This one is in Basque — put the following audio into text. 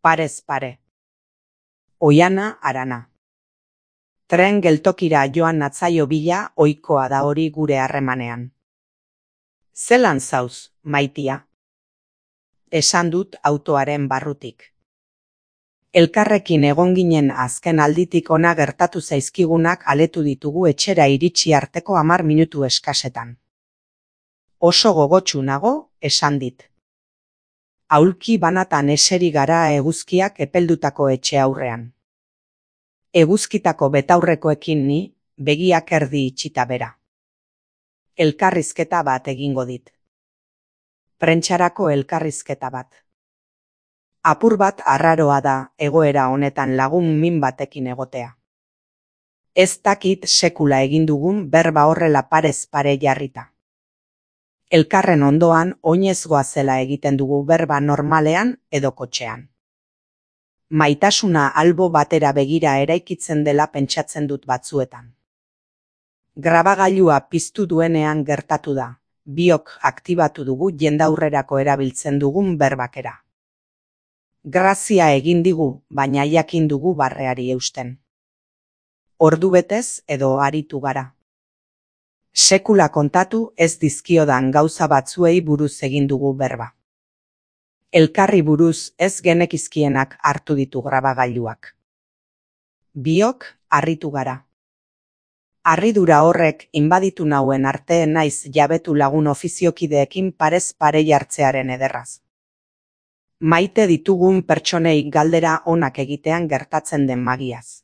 Parez pare. Oiana Arana. Tren geltokira joan natzaio bila ohikoa da hori gure harremanean. Zelan zauz, maitia? Esan dut autoaren barrutik. Elkarrekin egon ginen azken alditik ona gertatu zaizkigunak aletu ditugu etxera iritsi arteko 10 minutu eskasetan. Oso gogotsu nago, esan dit. Aulki banatan eseri gara eguzkiak epeldutako etxe aurrean. Eguzkitako betaurrekoekin ni, begiak erdi itxita bera. Elkarrizketa bat egingo dit. Prentsarako elkarrizketa bat. Apur bat arraroa da egoera honetan lagun min batekin egotea. Ez dakit sekula egin dugun berba horrela parez pare jarrita. Elkarren ondoan oinezgoa zela egiten dugu berba normalean edo kotxean. Maitasuna albo batera begira eraikitzen dela pentsatzen dut batzuetan. Grabagailua piztu duenean gertatu da, biok aktibatu dugu jendaurrerako erabiltzen dugun berbakera. Grazia egin digu, baina jakin dugu barreari eusten. Ordubetez edo aritu gara. Sekula kontatu ez dizkiodan gauza batzuei buruz egin dugu berba. Elkarri buruz ez genekizkienak hartu ditu grabagailuak. Biok harritu gara. Harridura horrek inbaditu nauen arte naiz jabetu lagun ofiziokideekin parez pare jartzearen ederraz. Maite ditugun pertsonei galdera onak egitean gertatzen den magiaz.